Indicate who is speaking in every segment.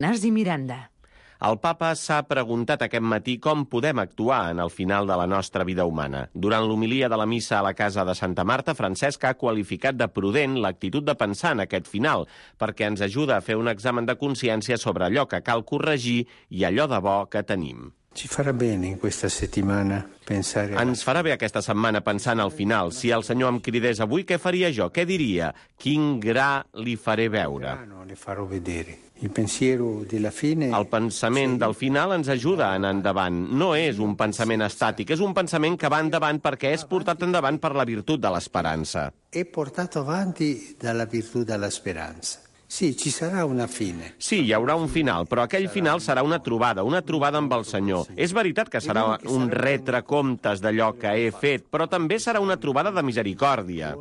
Speaker 1: Ignasi Miranda.
Speaker 2: El papa s'ha preguntat aquest matí com podem actuar en el final de la nostra vida humana. Durant l'homilia de la missa a la casa de Santa Marta, Francesc ha qualificat de prudent l'actitud de pensar en aquest final, perquè ens ajuda a fer un examen de consciència sobre allò que cal corregir i allò de bo que tenim.
Speaker 3: Ci farà bene in questa settimana pensare...
Speaker 2: Ens farà bé aquesta setmana pensar en el final. Si el Senyor em cridés avui, què faria jo? Què diria? Quin gra li faré veure?
Speaker 3: Le farò vedere. Il pensiero della fine...
Speaker 2: El pensament del final ens ajuda a anar endavant. No és un pensament estàtic, és un pensament que va endavant perquè és portat endavant per la virtut de l'esperança.
Speaker 3: È portato avanti dalla virtù della speranza. Sí, ci sarà una fine.
Speaker 2: Sí, hi haurà un final, però aquell final serà una trobada amb el Senyor. És veritat que serà un retrecomptes d'allò que he fet, però també serà una trobada de misericòrdia,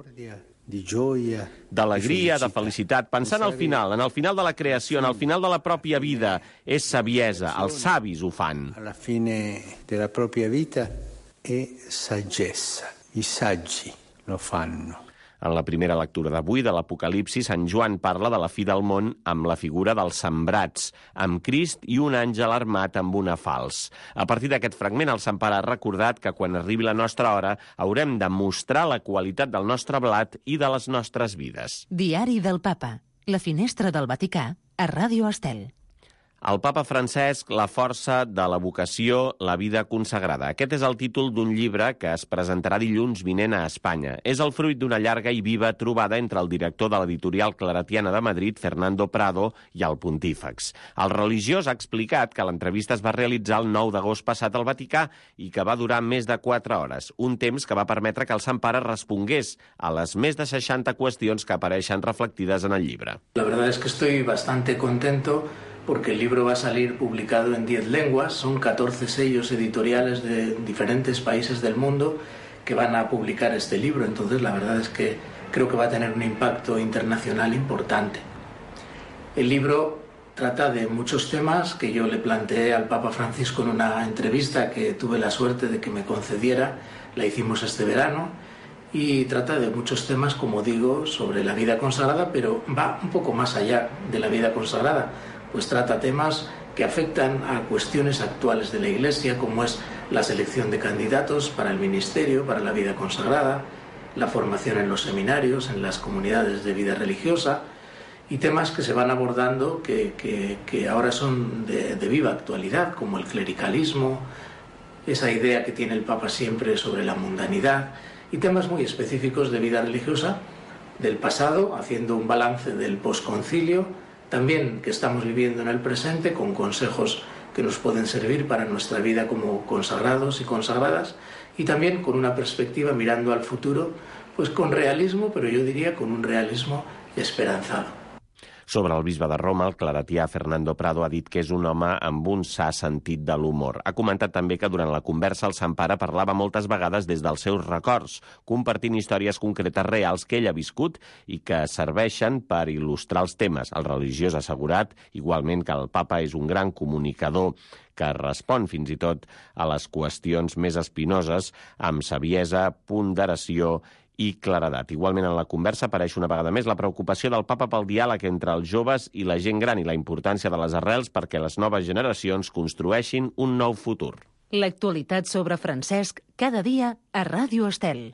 Speaker 3: Di gioia,
Speaker 2: d'alegria, de felicitat. Pensant al final, en el final de la creació, en el final de la pròpia vida, és saviesa. Els savis ho fan.
Speaker 3: Alla fine della propria vita è saggezza. I saggi lo fanno.
Speaker 2: En la primera lectura d'avui de l'Apocalipsi, Sant Joan parla de la fi del món amb la figura dels sembrats, amb Crist i un àngel armat amb una falç. A partir d'aquest fragment, el Sant Pare ha recordat que quan arribi la nostra hora haurem de mostrar la qualitat del nostre blat i de les nostres vides.
Speaker 1: Diari del Papa. La finestra del Vaticà a Ràdio Estel.
Speaker 2: El papa Francesc, la força de la vocació, la vida consagrada. Aquest és el títol d'un llibre que es presentarà dilluns vinent a Espanya. És el fruit d'una llarga i viva trobada entre el director de l'editorial Claretiana de Madrid, Fernando Prado, i el pontífex. El religiós ha explicat que l'entrevista es va realitzar el 9 d'agost passat al Vaticà i que va durar més de 4 hores, un temps que va permetre que el Sant Pare respongués a les més de 60 qüestions que apareixen reflectides en el llibre.
Speaker 4: La verdad es que estoy bastante contento porque el libro va a salir publicado en 10 lenguas, son 14 sellos editoriales de diferentes países del mundo que van a publicar este libro, entonces la verdad es que creo que va a tener un impacto internacional importante. El libro trata de muchos temas que yo le planteé al Papa Francisco en una entrevista que tuve la suerte de que me concediera, la hicimos este verano, y trata de muchos temas, como digo, sobre la vida consagrada, pero va un poco más allá de la vida consagrada, pues trata temas que afectan a cuestiones actuales de la Iglesia, como es la selección de candidatos para el ministerio, para la vida consagrada, la formación en los seminarios, en las comunidades de vida religiosa, y temas que se van abordando que ahora son de viva actualidad, como el clericalismo, esa idea que tiene el Papa siempre sobre la mundanidad, y temas muy específicos de vida religiosa del pasado, haciendo un balance del posconcilio, también que estamos viviendo en el presente, con consejos que nos pueden servir para nuestra vida como consagrados y consagradas, y también con una perspectiva mirando al futuro, pues con realismo, pero yo diría con un realismo esperanzado.
Speaker 2: Sobre el bisbe de Roma, el claretià Fernando Prado ha dit que és un home amb un sa sentit de l'humor. Ha comentat també que durant la conversa el Sant Pare parlava moltes vegades des dels seus records, compartint històries concretes reals que ell ha viscut i que serveixen per il·lustrar els temes. El religiós ha assegurat, igualment, que el papa és un gran comunicador que respon fins i tot a les qüestions més espinoses amb saviesa, ponderació i claredat. Igualment, en la conversa apareix una vegada més la preocupació del papa pel diàleg entre els joves i la gent gran i la importància de les arrels perquè les noves generacions construeixin un nou futur.
Speaker 1: L'actualitat sobre Francesc cada dia a Ràdio Estel.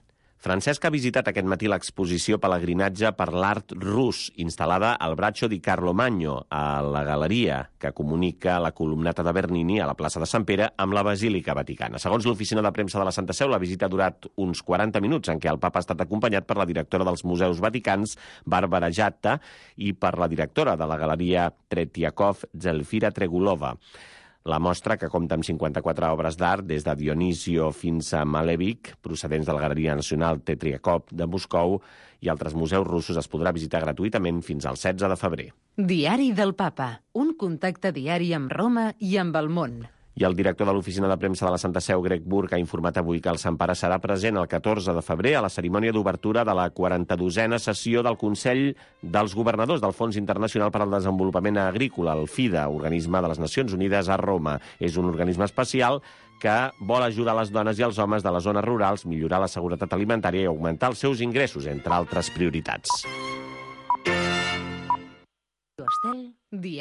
Speaker 2: Francesc ha visitat aquest matí l'exposició Pelegrinatge per l'art rus, instal·lada al Braccio di Carlo Magno, a la galeria que comunica la columnata de Bernini a la plaça de Sant Pere amb la Basílica Vaticana. Segons l'oficina de premsa de la Santa Seu, la visita ha durat uns 40 minuts, en què el papa ha estat acompanyat per la directora dels Museus Vaticans, Bàrbara Jatta, i per la directora de la galeria Tretiakov, Zelfira Tregulova. La mostra, que compta amb 54 obres d'art, des de Dionisio fins a Malevich, procedents de la Galeria Nacional Tretiakov de Moscou, i altres museus russos, es podrà visitar gratuïtament fins al 16 de febrer.
Speaker 1: Diari del Papa, un contacte diari amb Roma i amb el món.
Speaker 2: I el director de l'oficina de premsa de la Santa Seu, Greg Burke, ha informat avui que el Sant Pare serà present el 14 de febrer a la cerimònia d'obertura de la 42a sessió del Consell dels Governadors del Fons Internacional per al Desenvolupament Agrícola, el FIDA, organisme de les Nacions Unides a Roma. És un organisme especial que vol ajudar les dones i els homes de les zones rurals, millorar la seguretat alimentària i augmentar els seus ingressos, entre altres prioritats.